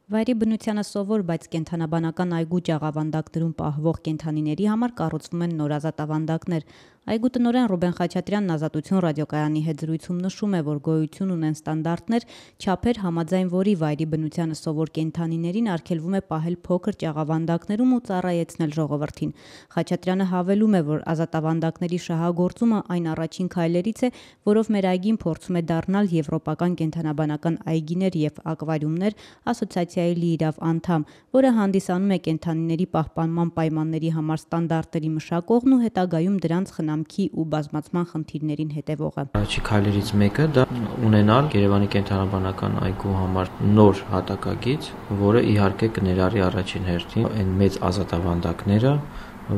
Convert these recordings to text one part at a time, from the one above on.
Վայրի բնությանը սովոր, բայց կենդանաբանական այգու ճաղավանդակներում պահվող կենդանիների համար կառուցվում են նոր ազատավանդակներ։ Այգու տնօրեն Ռուբեն Խաչատրյանն Ազատություն ռադիոկայանի հետ զրույցում նշում է, որ գոյություն ունեն ստանդարտներ, չափեր, համաձայն որի վայրի բնությանը սովոր կենդանիներին արգելվում է պահել փոքր ճաղավանդակներում ու ծառայեցնել ժողովրդին։ Խաչատրյանը հավելում է, որ ազատավանդակների շահագործումը այն առաջին քայլերից է, որով մեր այգին փորձում է դառնալ Եվրոպական կենդանաբանական այգիներ եւ ակվարիումներ ասոցիացիայի լիիրավ անդամ, որը հանդիսանում է կենդանիների պահպանման պայմանների համար ստանդարտների մշակողն ու հետագայում դրանց խնամքի ու բազմացման խնդիրներին հետևողը։ Առաջի քայլերից մեկը դա ունենալ Երևանի կենդանաբանական այգու համար նոր հատակագիծ, որը իհարկե կներառի առաջին հերթին այն մեծ ազատավանդակները,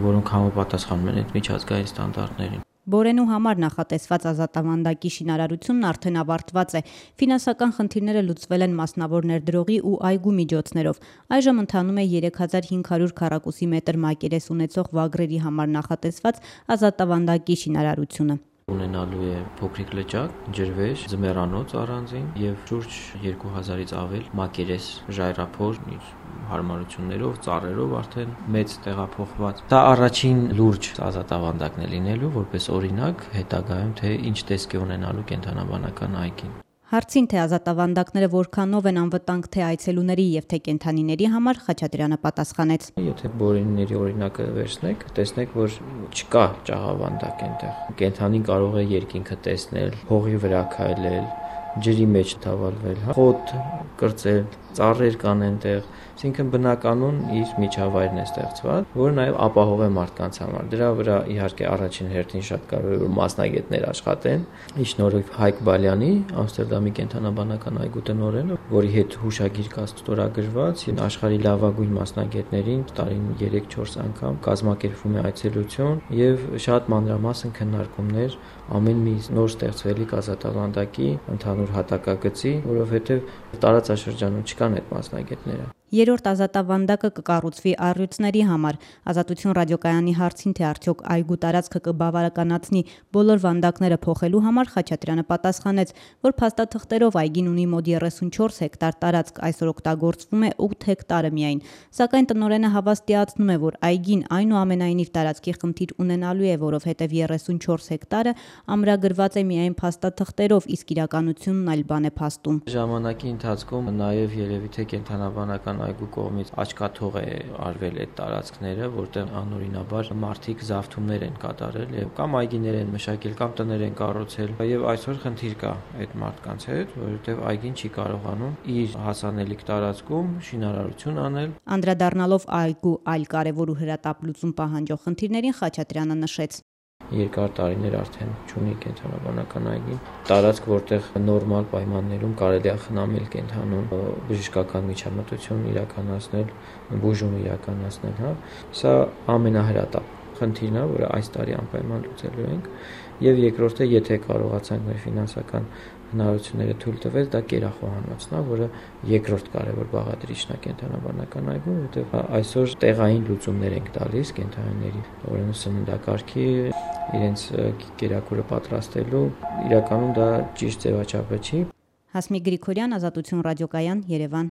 որոնք համապատասխանում են այդ միջազգային ստանդարտներին։ Բորենու համար նախատեսված ազատավանդակի շինարարությունն արդեն ավարտված է։ Ֆինանսական խնդիրները լուծվել են մասնավոր ներդրողի ու այգու միջոցներով։ Այժմ ընթանում է 3500 քառակուսի մետր մակերես ունեցող վագրերի համար նախատեսված ազատավանդակի շինարարությունը։ Ունենալու է փոքրիկ լճակ, ջրվեժ, ձմեռանոց առանձին եւ շուրջ 2000-ից ավել մակերես ժայռափոր իր հարմարություններով, ծառերով արդեն մեծ տեղափոխված։ Դա առաջին լուրջ ազատավանդակն է լինելու, որպես օրինակ հետագայում թե ինչ տեսք է ունենալու կենդանաբանական այգին։ Հարցին, թե ազատավանդակները որքանով են անվտանգ թե այցելուների եւ թե կենդանիների համար, Խաչատրյանը պատասխանեց. Եթե Բորենիների օրինակը վերցնեք, տեսնեք, որ չկա ճաղավանդակ այնտեղ։ Կենդանին կարող է երկինքը տեսնել, հողի վրա քայլել, ջրի մեջ թավալվել, խոտ կրծել, ծառեր կան այնտեղ, այսինքն բնականon իր միջավայրն է ստեղծված, որը նաև ապահով է մարդկանց համար։ Դրա վրա իհարկե առաջին հերթին շատ կարևոր է որ մասնագետներ աշխատեն։ Ի շնորհիվ Հայկ Բալյանի, Ամստերդամի կենդանաբանական այգու տնօրենը, որի հետ հուշագիր կա ստորագրված, աշխարհի լավագույն մասնագետներին տարին 3-4 անգամ կազմակերպվում է այցելություն եւ շատ մանրամասն քննարկումներ ամեն մի նոր ստեղծվելիք ազատավանդակի ընդհանուր հատակագծի, որովհետեւ տարածաշրջանում չկան այդ մասնագետները։ Երրորդ ազատավանդակը կկառուցվի առյուծների համար։ Ազատություն ռադիոկայանի հարցին, թե արդյոք այգու տարածքը կբավականացնի բոլոր վանդակները փոխելու համար, Խաչատրյանը պատասխանեց, որ փաստաթղթերով այգին ունի մոտ 34 հեկտար տարածք, այսօր օգտագործվում է 8 հեկտարը միայն։ Սակայն տնօրենը հավաստիացնում է, որ այգին այնուամենայնիվ տարածքի խնդիր ունենալու է, որովհետև 34 հեկտարը ամրագրված է միայն փաստաթղթերով, իսկ իրականությունն այլ բան է փաստում։ Ժամանակի ընթացքում նաև երևի թե կենդանաբանական այգու կողմից աչքաթող է արվել այդ տարածքները, որտեղ անօրինաբար մարդիկ զավթումներ են կատարել եւ կամ այգիներ են մշակել, կամ տներ են կառուցել եւ այսօր խնդիր կա այդ մարդկանց հետ, որովհետեւ այգին չի կարողանում իր հասանելիք տարածքում շինարարություն անել։ Անդրադառնալով այգու այլ կարևոր ու հրատապ լուծում պահանջող խնդիրներին, Խաչատրյանը նշեց. Երկար տարիներ արդեն չունի կենդանաբանական այգին տարածք, որտեղ նորմալ պայմաններում կարելի է խնամել կենդանուն, բժշկական միջամտություն իրականացնել, բուժում իրականացնել, հա։ Սա ամենահրատապ խնդիրն է, որը այս տարի անպայման լուծելու ենք, եւ երկրորդը, եթե կարողացանք մեր ֆինանսական հնարավորությունները թույլ տվել, դա կերախոհանոցն է, որը երկրորդ կարևոր բաղադրիչն է կենդանաբանական այգում, որտեղ այսօր տեղային լուծումներ ենք տալիս կենդանիների, ուրեմն սննդակարգի, իրենց կերակուրը պատրաստելու, իրականում դա ճիշտ ձևաչափը չի։ Հասմիկ Գրիգորյան, Ազատություն ռադիոկայան, Երևան։